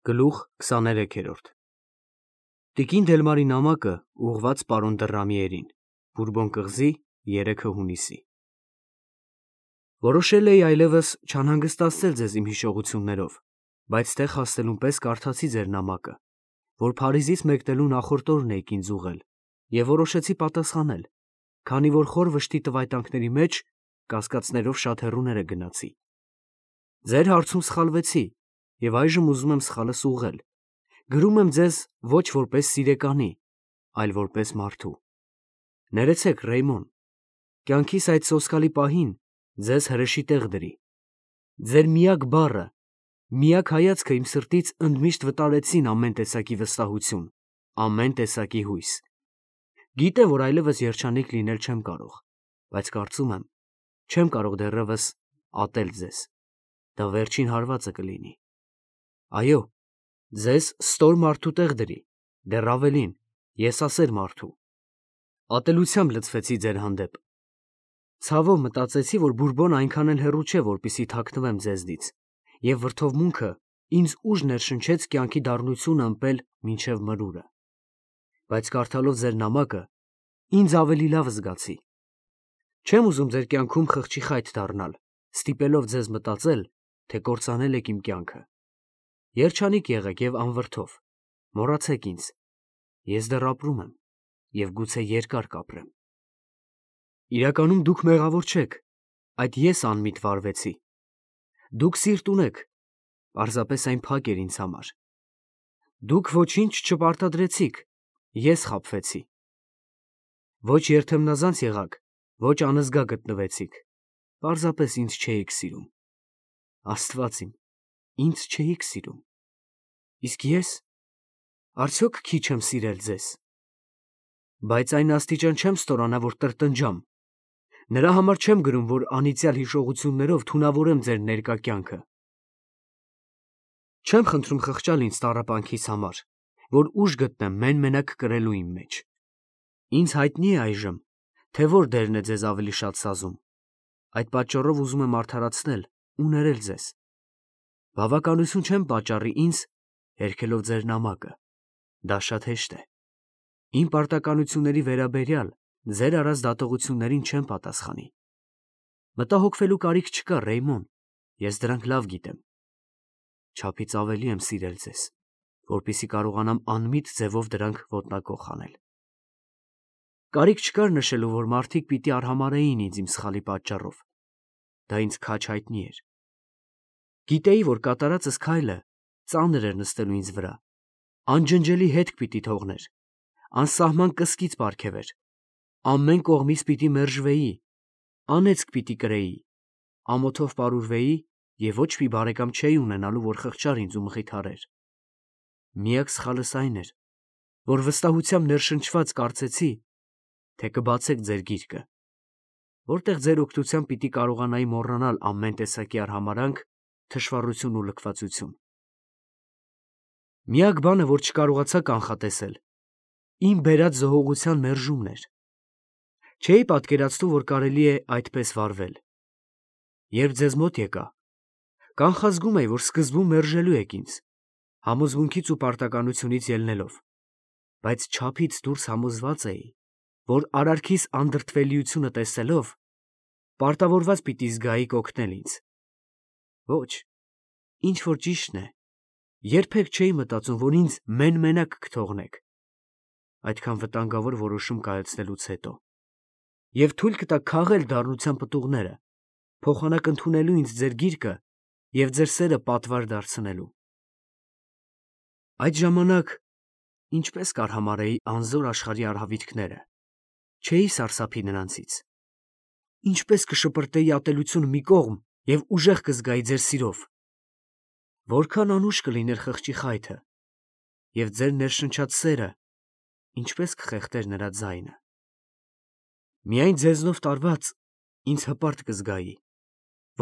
Գլուխ 23-րդ Տիկին Դելմարի նամակը ուղղված պարոն Դռամիերին, Բուրբոն կղզի 3 հունիսի Որոշել էի այլևս չանհանգստացնել ձեզ իմ հիշողություններով, բայց տեղ հասնելուն պես կարդացի ձեր նամակը, որ Փարիզից մեկնելու նախորդ օրն էիք ինձ ուղղել, և որոշեցի պատասխանել, քանի որ խոր վշտի տվայտանքների մեջ կասկածներով շատ հեռուները գնացի։ Ձեր հարցում սխալվեցի և այժմ ուզում եմ սխալս ուղղել, գրում եմ ձեզ ոչ որպես սիրեկանի, այլ որպես մարդու։ Ներեցեք, Ռեյմոն, կյանքիս այդ սոսկալի պահին ձեզ հրեշի տեղ դրի։ Ձեր միակ բառը, միակ հայացքը իմ սրտից ընդմիշտ վտարեցին ամեն տեսակի վստահություն, ամեն տեսակի հույս։ Գիտեմ, որ այլևս երջանիկ լինել չեմ կարող, բայց կարծում եմ, չեմ կարող դեռևս ատել ձեզ։ Դա վերջին հարվածը կլինի։ Այո, ձեզ ստոր մարդու տեղ դրի, դեռ ավելին, եսասեր մարդու։ Ատելությամբ լցվեցի ձեր հանդեպ։ Ցավով մտածեցի, որ Բուրբոն այնքան էլ հեռու չէ, որպեսզի թաքնվեմ ձեզնից, և վրդովմունքը ինձ ուժ ներշնչեց կյանքի դառնությունը ըմպել մինչև մրուրը։ Բայց կարդալով ձեր նամակը, ինձ ավելի լավ զգացի։ Չեմ ուզում ձեր կյանքում խղճի խայտ դառնալ, ստիպելով ձեզ մտածել, թե կործանել եք իմ կյանքը։ Երջանիկ եղեք և անվրդով, մոռացեք ինձ, ես դեռ ապրում եմ և գուցե երկար կապրեմ։ Իրականում դուք մեղավոր չեք, այդ ես անմիտ վարվեցի։ Դուք սիրտ ունեք, պարզապես այն փակ էր ինձ համար։ Դուք ոչինչ չպարտադրեցիք, ես խաբվեցի։ Ոչ երթեմնազանց եղաք, ոչ անզգա գտնվեցիք, պարզապես ինձ չէիք սիրում։ Աստված իմ, ինձ չէիք սիրում։ Իսկ ես, արդյոք քիչ եմ սիրել ձեզ։ Բայց այն աստիճան չեմ ստորանա, որ տրտնջամ։ Նրա համար չեմ գրում, որ անիծյալ հիշողություններով թունավորեմ ձեր ներկա կյանքը։ Չեմ խնդրում խղճալ ինձ տառապանքիս համար, որ ուժ գտնեմ մեն-մենակ կրելու իմ մեջ։ Ինձ հայտնի է այժմ, թե որ դերն է ձեզ ավելի շատ սազում։ Այդ պատճառով ուզում եմ արդարացնել ու ներել ձեզ։ Բավականություն չեմ պատճառի ինձ, հերքելով ձեր նամակը։ Դա շատ հեշտ է։ Իմ պարտականությունների վերաբերյալ ձեր արած դատողություններին չեմ պատասխանի։ Մտահոգվելու կարիք չկա, Ռեյմոն, ես դրանք լավ գիտեմ։ Չափից ավելի եմ սիրել ձեզ, որպեսզի կարողանամ անմիտ ձևով դրանք ոտնակոխ անել։ Կարիք չկար նշելու, որ մարդիկ պիտի արհամարհեին ինձ իմ սխալի պատճառով։ Դա ինձ քաջ հայտնի էր։ Գիտեի, որ կատարածս քայլը ծանր էր նստելու ինձ վրա, անջնջելի հետք պիտի թողներ, անսահման կսկիծ պարգևեր, ամեն կողմից պիտի մերժվեի, անեծք պիտի կրեի, ամոթով պարուրվեի և ոչ մի բարեկամ չէի ունենալու, որ խղճար ինձ ու մխիթարեր։ Միակ սխալս այն էր, որ վստահությամբ ներշնչված կարծեցի, թե կբացեք ձեր գիրկը, որտեղ ձեր օգնությամբ պիտի կարողանայի մոռանալ ամեն տեսակի արհամարհանք, թշվառություն ու լքվածություն։ Միակ բանը, որ չկարողացա կանխատեսել, իմ բերած զոհողության մերժումն էր։ Չէի պատկերացնում, որ կարելի է այդպես վարվել։ Երբ ձեզ մոտ եկա, կանխազգում էի, որ սկզբում մերժելու եք ինձ, համոզմունքից ու պարտականությունից ելնելով, բայց չափից դուրս համոզված էի, որ արարքիս անդրդվելիությունը տեսնելով, պարտավորված պիտի զգայիք օգնել ինձ։ Ոչ, ինչ որ ճիշտն է, երբեք չէի մտածում, որ ինձ մեն-մենակ կթողնեք, այդքան վտանգավոր որոշում կայացնելուց հետո, և թույլ կտաք քաղել դառնության պտուղները, փոխանակ ընդունելու ինձ ձեր գիրկը և ձեր սերը պատվար դարձնելու։ Այդ ժամանակ ինչպես կարհամարհեի անզոր աշխարհի արհավիրքները, չէի սարսափի նրանցից։ Ինչպես կշպրտեի ատելությունը մի կողմ և ուժեղ կզգայի ձեր սիրով։ Որքան անուշ կլիներ խղճի խայթը, և ձեր ներշնչած սերը ինչպես կխեղդեր նրա ձայնը։ Միայն ձեզնով տարված ինձ հպարտ կզգայի,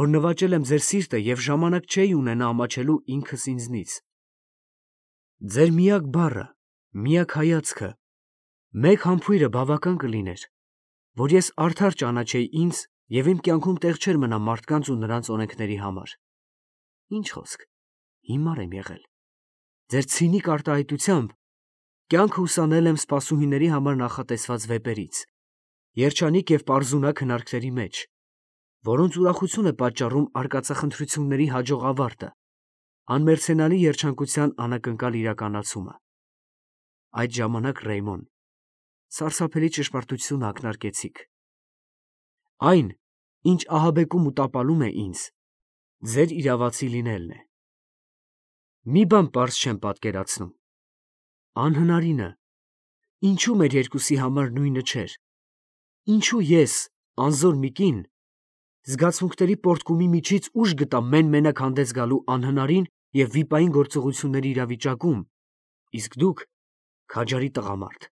որ նվաճել եմ ձեր սիրտը և ժամանակ չէի ունենա ամաչելու ինքս ինձնից։ Ձեր միակ բառը, միակ հայացքը, մեկ համբույրը բավական կլիներ, որ ես արդար ճանաչեի ինձ և իմ կյանքում տեղ չէր մնա մարդկանց ու նրանց օրենքների համար։ Ինչ խոսք, հիմար եմ եղել, ձեր ցինիկ արտահայտությամբ կյանքը ուսանել եմ սպասուհիների համար նախատեսված վեպերից, երջանիկ և պարզունակ հնարքների մեջ, որոնց ուրախություն է պատճառում արկածախնդրությունների հաջող ավարտը, անմերձենալի երջանկության անակնկալ իրականացումը։ Այդ ժամանակ, Ռեյմոն, սարսափելի ճշմարտություն ակնարկեցիք։ Այն, ինչ ահաբեկում ու տապալում է ինձ, ձեր իրավացի լինելն է։ Մի բան պարզ չեմ պատկերացնում. անհնարինը, ինչու մեր երկուսի համար նույնը չէր, ինչու ես, անզոր մի կին, զգացմունքների պոռթկումի միջից ուժ գտա մեն-մենակ հանդես գալու անհնարին և վիպային գործողությունների իրավիճակում, իսկ դուք, քաջարի տղամարդ,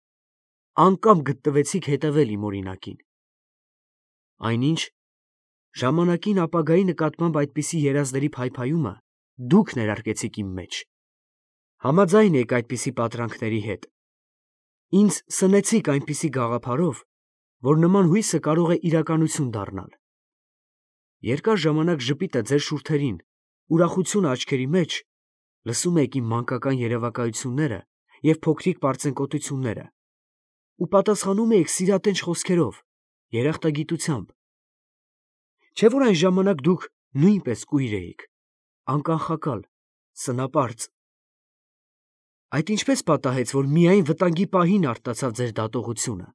անկամ գտնվեցիք հետևել իմ օրինակին։ Այնինչ, ժամանակին ապագայի նկատմամբ այդպիսի երազների փայփայումը դուք ներարկեցիք իմ մեջ։ Համաձայն եք այդպիսի պատրանքների հետ։ Ինձ սնեցիք այնպիսի գաղափարով, որ նման հույսը կարող է իրականություն դառնալ։ Երկար ժամանակ ժպիտը ձեր շուրթերին, ուրախությունը աչքերի մեջ, լսում եք իմ մանկական երևակայությունները և փոքրիկ պարծենկոտությունները, ու պատասխանում եք սիրատենչ խոսքերով, երախտագիտությամբ։ Չէ՞ որ այն ժամանակ դուք նույնպես կույր էիք, անկախակալ, սնապարծ։ Այդ ինչպես պատահեց, որ միայն վտանգի պահին արտացավ ձեր դատողությունը։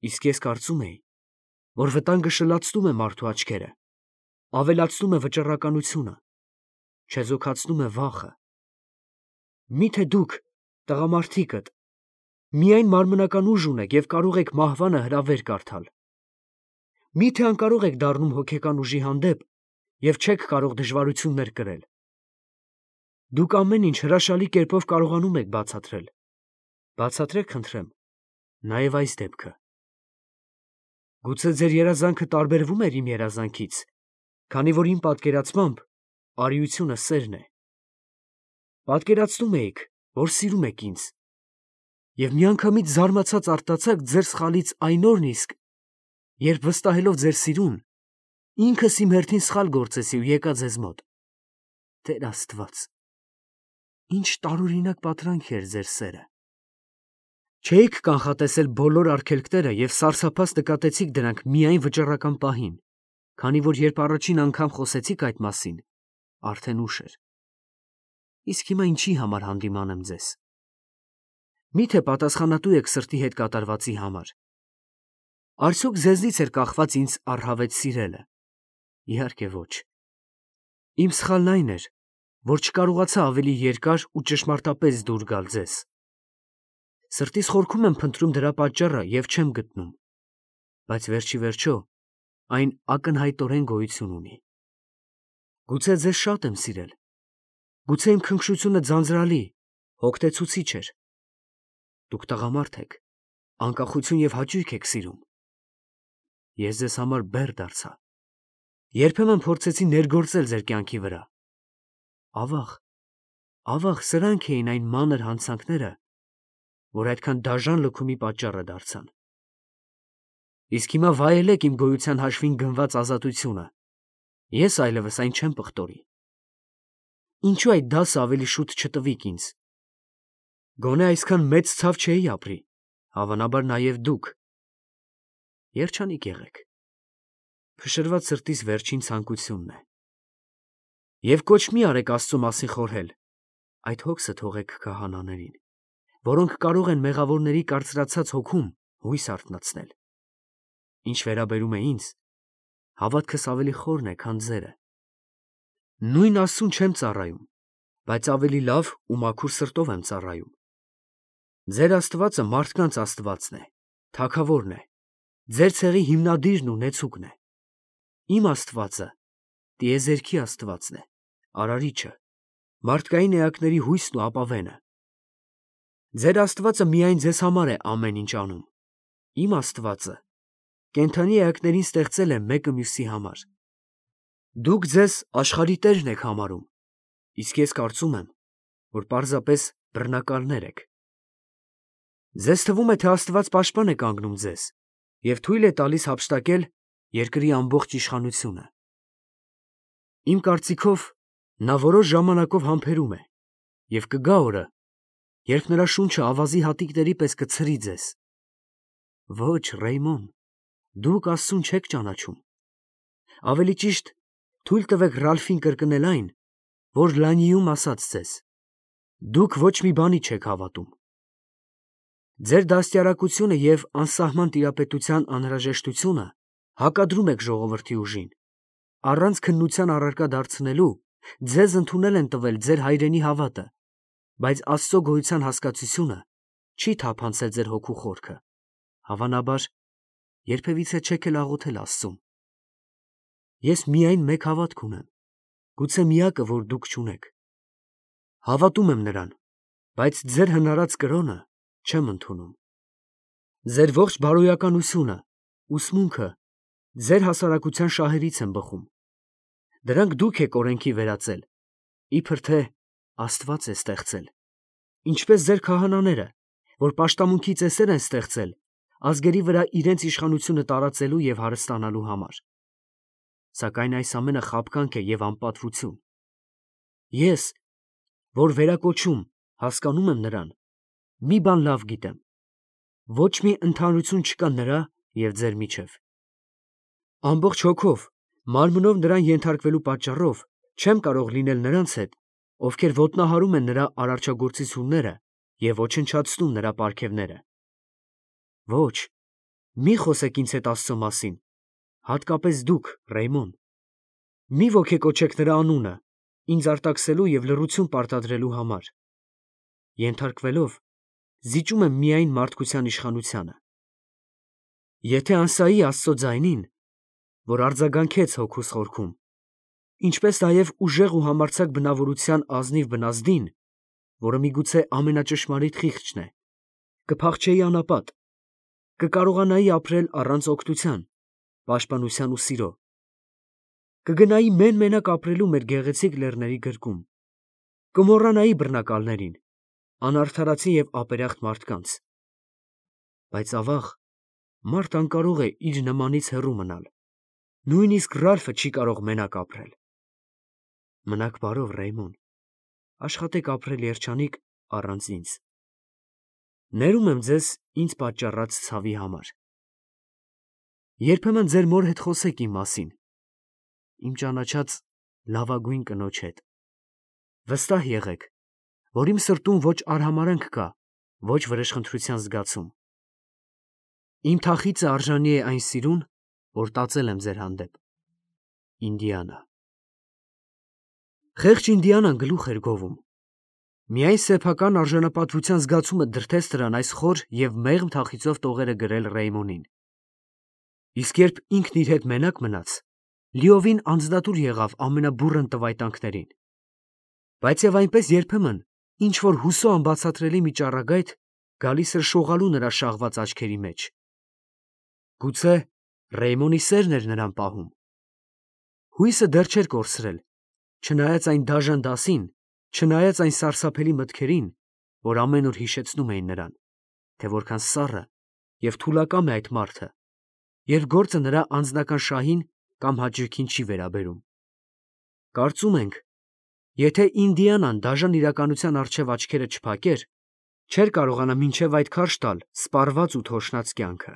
Իսկ ես կարծում էի, որ վտանգը շլացնում է մարդու աչքերը, ավելացնում է վճռականությունը, չեզոքացնում է վախը։ Մի՞թե դուք, տղամարդիկդ, միայն մարմնական ուժ ունեք և կարող եք մահվանը հրավեր կարդալ։ Մի՞թե անկարող եք դառնում հոգեկան ուժի հանդեպ և չեք կարող դժվարություններ կրել։ Դուք ամեն ինչ հրաշալի կերպով կարողանում եք բացատրել։ Բացատրեք, խնդրեմ, նաև այս դեպքը։ Գուցե ձեր երազանքը տարբերվում էր իմ երազանքից, քանի որ իմ պատկերացմամբ արիությունը սերն է։ Պատկերացնում էիք, որ սիրում եք ինձ, և միանգամից զարմացած արտացաք ձեր սխալից այն օրն իսկ, երբ վստահելով ձեր սիրուն, ինքս իմ հերթին սխալ գործեցի ու եկա ձեզ մոտ։ Տեր Աստված, ինչ տարօրինակ պատրանք էր ձեր սերը։ Չէիք կանխատեսել բոլոր արգելքները և սարսափած նկատեցիք դրանք միայն վճռական պահին, քանի որ երբ առաջին անգամ խոսեցիք այդ մասին, արդեն ուշ էր։ Իսկ հիմա ինչի համար հանդիման եմ ձեզ։ Մի՞թե պատասխանատու եք սրտի հետ կատարվածի համար։ Արդյոք ձեզնից էր կախված ինձ առհավետ սիրելը։ Իհարկե ոչ։ Իմ սխալն այն էր, որ չկարողացա ավելի երկար ու ճշմարտապես դուր գալ ձեզ։ Սրտիս խորքում եմ փնտրում դրա պատճառը և չեմ գտնում, բայց վերջիվերջո այն ակնհայտորեն գոյություն ունի։ Գուցե ձեզ շատ եմ սիրել, գուցե իմ քնքշությունը ձանձրալի, հոգնեցուցիչ էր։ Դուք տղամարդ եք, անկախություն և հաճույք եք սիրում։ Ես ձեզ համար բեռ դարձա։ Երբեմն փորձեցի ներգործել ձեր կյանքի վրա։ Ավաղ, սրանք էին այն մանր հանցանքները, որ այդքան դաժան լքումի պատճառը դարձան։ Իսկ հիմա վայելեք իմ գոյության հաշվին գնված ազատությունը։ Ես այլևս այն չեմ պղտորի։ Ինչու այդ դասը ավելի շուտ չտվիք ինձ։ Գոնե այսքան մեծ ցավ չէի ապրի, հավանաբար նաև դուք։ Երջանիկ եղեք։ Փշրված սրտիս վերջին ցանկությունն է։ Եվ կոչ մի արեք Աստծո մասին խորհել, այդ հոգսը թողեք քահանաներին, որոնք կարող են մեղավորների կարծրացած հոգում հույս արթնացնել։ Ինչ վերաբերում է ինձ, հավատքս ավելի խորն է, քան ձերը։ Նույն Աստծուն չեմ ծառայում, բայց ավելի լավ ու մաքուր սրտով եմ ծառայում։ Ձեր Աստվածը մարդկանց Աստվածն է, Թագավորն է, ձեր ցեղի հիմնադիրն ու նեցուկն է։ Իմ Աստվածը տիեզերքի Աստվածն է, Արարիչը, մարդկային էակների հույսն ու ապավենը։ Ձեր Աստվածը միայն ձեզ համար է ամեն ինչ անում։ Իմ Աստվածը կենդանի էակներին ստեղծել է մեկը մյուսի համար։ Դուք ձեզ աշխարհի տերն եք համարում, իսկ ես կարծում եմ, որ պարզապես բռնակալներ եք։ Ձեզ թվում է, թե Աստված պաշտպան է կանգնում ձեզ և թույլ է տալիս հափշտակել երկրի ամբողջ իշխանությունը։ Իմ կարծիքով, նա որոշ ժամանակով համբերում է Եվ կգա օրը, երբ նրա շունչը ավազի հատիկների պես կցրի ձեզ։ Ոչ, Ռեյմոն, դուք Աստծուն չեք ճանաչում։ Ավելի ճիշտ, թույլ տվեք Ռալֆին կրկնել այն, որ Լանիում ասաց ձեզ. դուք ոչ մի բանի չեք հավատում։ Ձեր դաստիարակությունը և անսահման տիրապետության անհրաժեշտությունը հակադրում եք ժողովրդի ուժին։ Առանց քննության առարկա դարձնելու ձեզ ընդունել են տվել ձեր հայրենի հավատը, բայց Աստծո գոյության հասկացությունը չի թափանցել ձեր հոգու խորքը։ Հավանաբար, երբևիցե չեք էլ աղոթել Աստծուն։ Ես միայն մեկ հավատք ունեմ, գուցե միակը, որ դուք չունեք։ Հավատում եմ նրան, բայց ձեր հնարած կրոնը չեմ ընդունում։ Ձեր ողջ բարոյականությունը, ուսմունքը ձեր հասարակության շահերից են բխում։ Դրանք դուք եք օրենքի վերածել, իբր թե Աստված է ստեղծել, ինչպես ձեր քահանաները, որ պաշտամունքի ծեսեր են ստեղծել ազգերի վրա իրենց իշխանությունը տարածելու և հարստանալու համար։ Սակայն այս ամենը խաբկանք է և անպատվություն։ Ես, որ վերակոչում հասկանում եմ նրան, մի բան լավ գիտեմ. ոչ մի ընդհանրություն չկա նրա և ձեր միջև։ Ամբողջ հոգով, մարմնով նրան ենթարկվելու պատճառով չեմ կարող լինել նրանց հետ, ովքեր ոտնահարում են նրա արարչագործությունները և ոչնչացնում նրա պարգևները։ Ոչ, մի խոսեք ինձ հետ Աստծո մասին, հատկապես դուք, Ռեյմոն։ Մի ոգեկոչեք նրա անունը, ինձ արտաքսելու և լռություն պարտադրելու համար։ Ենթարկվելով, զիջում եմ միայն մարդկության իշխանությանը։ Եթե անսայի Աստծո ձայնին, որ արձագանքեց հոգուս խորքում, ինչպես նաև ուժեղ ու համարձակ բնավորության ազնիվ բնազդին, որը միգուցե ամենաճշմարիտ խիղճն է, կփախչեի անապատ, կկարողանայի ապրել առանց օգնության, պաշտպանության ու սիրո, կգնայի մեն֊մենակ ապրելու մեր գեղեցիկ լեռների գրկում, կմոռանայի բռնակալներին, անարդարացի և ապերախտ մարդկանց։ Բայց ավաղ, մարդ անկարող է իր նմանից հեռու մնալ, նույնիսկ Ռալֆը չի կարող մենակ ապրել։ Մնաք բարով, Ռեյմոն, աշխատեք ապրել երջանիկ առանց ինձ։ Ներում եմ ձեզ ինձ պատճառած ցավի համար։ Երբեմն ձեր մոր հետ խոսեք իմ մասին, իմ ճանաչած լավագույն կնոջ հետ։ Վստահ եղեք, որ իմ սրտում ոչ արհամարհանք կա, ոչ վրեժխնդրության զգացում։ Իմ թախիծը արժանի է այն սիրուն, որ տածել եմ ձեր հանդեպ։ Ինդիանա։ Խեղճ Ինդիանան գլուխ էր գովում։ Միայն սեփական արժանապատվության զգացումը դրդեց նրան այս խոր և մեղմ թախիծով տողերը գրել Ռեյմոնին։ Իսկ երբ ինքն իր հետ մենակ մնաց, լիովին անձնատուր եղավ ամենաբուռն տվայտանքներին։ Բայց և այնպես երբեմն ինչ-որ հուսո անբացատրելի մի ճառագայթ գալիս էր շողալու նրա շաղված աչքերի մեջ։ Գուցե Ռեյմոնի սերն էր նրան պահում։ Հույսը դեռ չէր կորսրել, չնայած այն դաժան դասին, չնայած այն սարսափելի մտքերին, որ ամեն օր հիշեցնում էին նրան, թե որքան սառը և թուլակամ է այդ մարդը, երբ գործը նրա անձնական շահին կամ հաճույքին չի վերաբերում։ Կարծում ենք, եթե Ինդիանան դաժան իրականության առջև աչքերը չփակեր, չէր կարողանա մինչև այդ քարշ տալ սպառված ու թոշնած կյանքը։